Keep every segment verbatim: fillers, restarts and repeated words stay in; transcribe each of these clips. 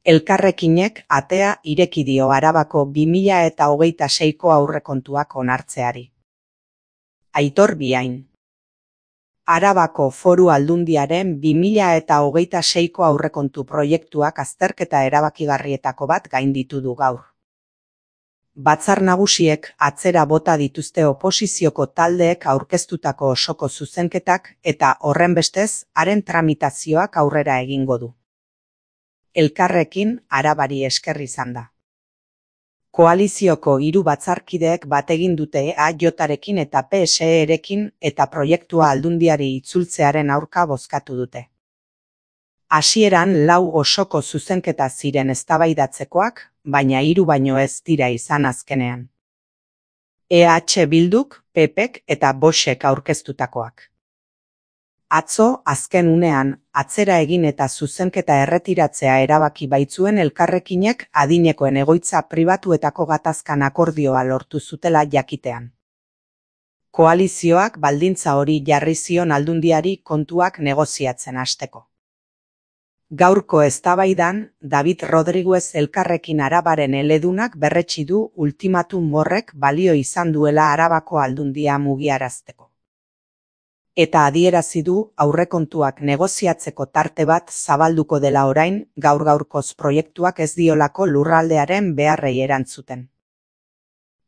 Elkarrekinek atea ireki dio Arabako bi mila eta hogeita seiko aurrekontuak onartzeari. Aitor Biain. Arabako Foru Aldundiaren bi mila eta hogeita seiko aurrekontu proiektuak azterketa erabakigarrietako bat gainditu du gaur. Batzar Nagusiek atzera bota dituzte oposizioko taldeek aurkeztutako osoko zuzenketak eta horrenbestez haren tramitazioak aurrera egingo du. Elkarrekin Arabari esker izan da. Koalizioko hiru batzarkideek bat egin dute E A J-arekin eta P S E-rekin eta proiektua Aldundiari itzultzearen aurka bozkatu dute. Hasieran lau osoko zuzenketa ziren eztabaidatzekoak, baina hiru baino ez dira izan azkenean. E H Bilduk, P Pek eta Voxek aurkeztutakoak. Atzo, azken unean, atzera egin eta zuzenketa erretiratzea erabaki baitzuen Elkarrekinek adinekoen egoitza pribatuetako gatazkan akordioa lortu zutela jakitean. Koalizioak baldintza hori jarri zion Aldundiari kontuak negoziatzen hasteko. Gaurko eztabaidan, David Rodriguez Elkarrekin Arabaren eledunak berretsi du ultimatum horrek balio izan duela Arabako Aldundia mugiarazteko. Eta adierazi du aurrekontuak negoziatzeko tarte bat zabalduko dela orain, gaur-gaurkoz proiektuak ez diolako lurraldearen beharrei erantzuten.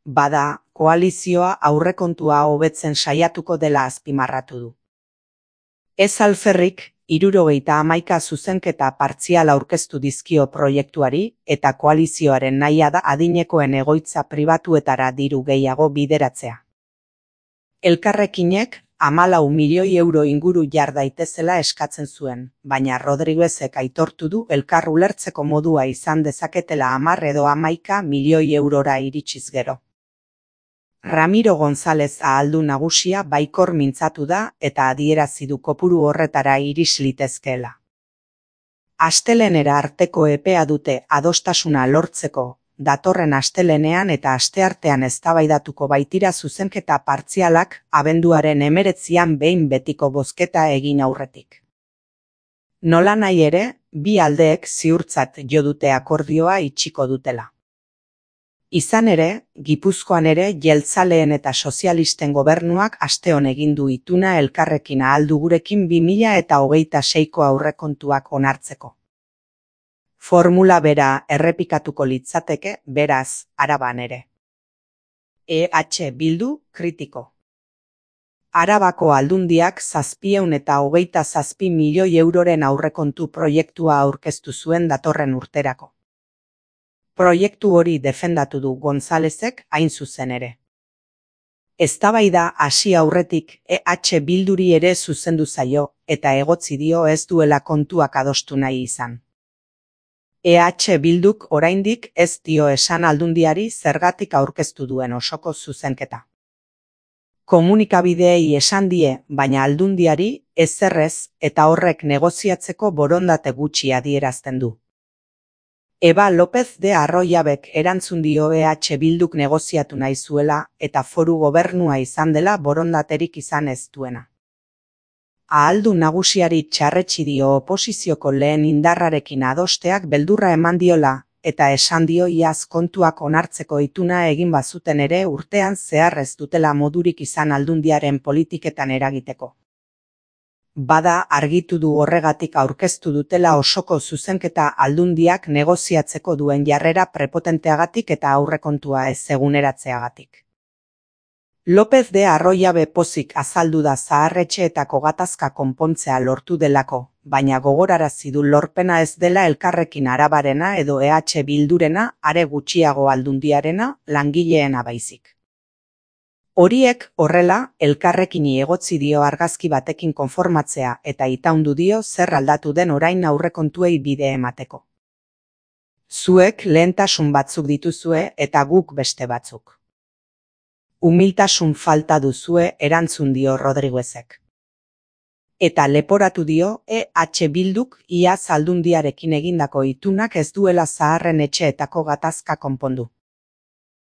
Bada, koalizioa aurrekontua hobetzen saiatuko dela azpimarratu du. Ez alferrik, hirurogeita hamaika zuzenketa partzial aurkeztu dizkio proiektuari eta koalizioaren nahia da adinekoen egoitza pribatuetara diru gehiago bideratzea. Elkarrekinek hamalau milioi euro inguru jar daitezela eskatzen zuen, baina Rodriguezek aitortu du elkar ulertzeko modua izan dezaketela hamar edo hamaika milioi eurora iritsiz gero. Ramiro González ahaldun nagusia baikor mintzatu da eta adierazi du kopuru horretara iris litezkeela. Astelehenera arteko epea dute adostasuna lortzeko, datorren astelehenean eta asteartean eztabaidatuko baitira zuzenketa partzialak abenduaren hemeretzian behin betiko bozketa egin aurretik. Nolanahi ere, bi aldeek ziurtzat jo dute akordioa itxiko dutela. Izan ere, Gipuzkoan ere jeltzaleen eta sozialisten gobernuak asteon egin du ituna Elkarrekin ahaldu gurekin bi mila eta hogeita seiko aurrekontuak onartzeko. Formula bera errepikatuko litzateke, beraz, Araban ere. E H Bildu, kritiko. Arabako Aldundiak zazpieun eta hogeita zazpi milioi euroren aurrekontu proiektua aurkeztu zuen datorren urterako. Proiektu hori defendatu du Gonzálezek hain zuzen ere. Eztabaida hasi aurretik E H Bilduri ere zuzendu zaio eta egotzi dio ez duela kontuak adostu nahi izan. E H Bilduk oraindik ez dio esan Aldundiari zergatik aurkeztu duen osoko zuzenketa. Komunikabideei esan die, baina Aldundiari ezerrez eta horrek negoziatzeko borondate gutxi adierazten du. Eba López de Arroyabek erantzun dio E H Bilduk negoziatu nahi zuela eta foru gobernua izan dela borondaterik izan ez duena. Ahaldun nagusiari txarretsi dio oposizioko lehen indarrarekin adosteak beldurra eman diola, eta esan dio iaz kontuak onartzeko ituna egin bazuten ere urtean zehar ez dutela modurik izan Aldundiaren politiketan eragiteko. Bada argitu du horregatik aurkeztu dutela osoko zuzenketa Aldundiak negoziatzeko duen jarrera prepotenteagatik eta aurrekontua ez eguneratzeagatik. López de Arroyabe pozik azaldu da zaharretxeetako gatazka konpontzea lortu delako, baina gogorarazi du lorpena ez dela Elkarrekin Arabarena edo E H Bildurena, are gutxiago Aldundiarena, langileena baizik. Horiek horrela, Elkarrekini egotzi dio argazki batekin konformatzea eta itaundu dio zer aldatu den orain aurrekontuei bide emateko. Zuek lehentasun batzuk dituzue eta guk beste batzuk. Humiltasun falta duzue erantzun dio Rodriguezek. Eta leporatu dio E H Bilduk iaz Aldundiarekin egindako itunak ez duela zaharren etxeetako gatazka konpondu.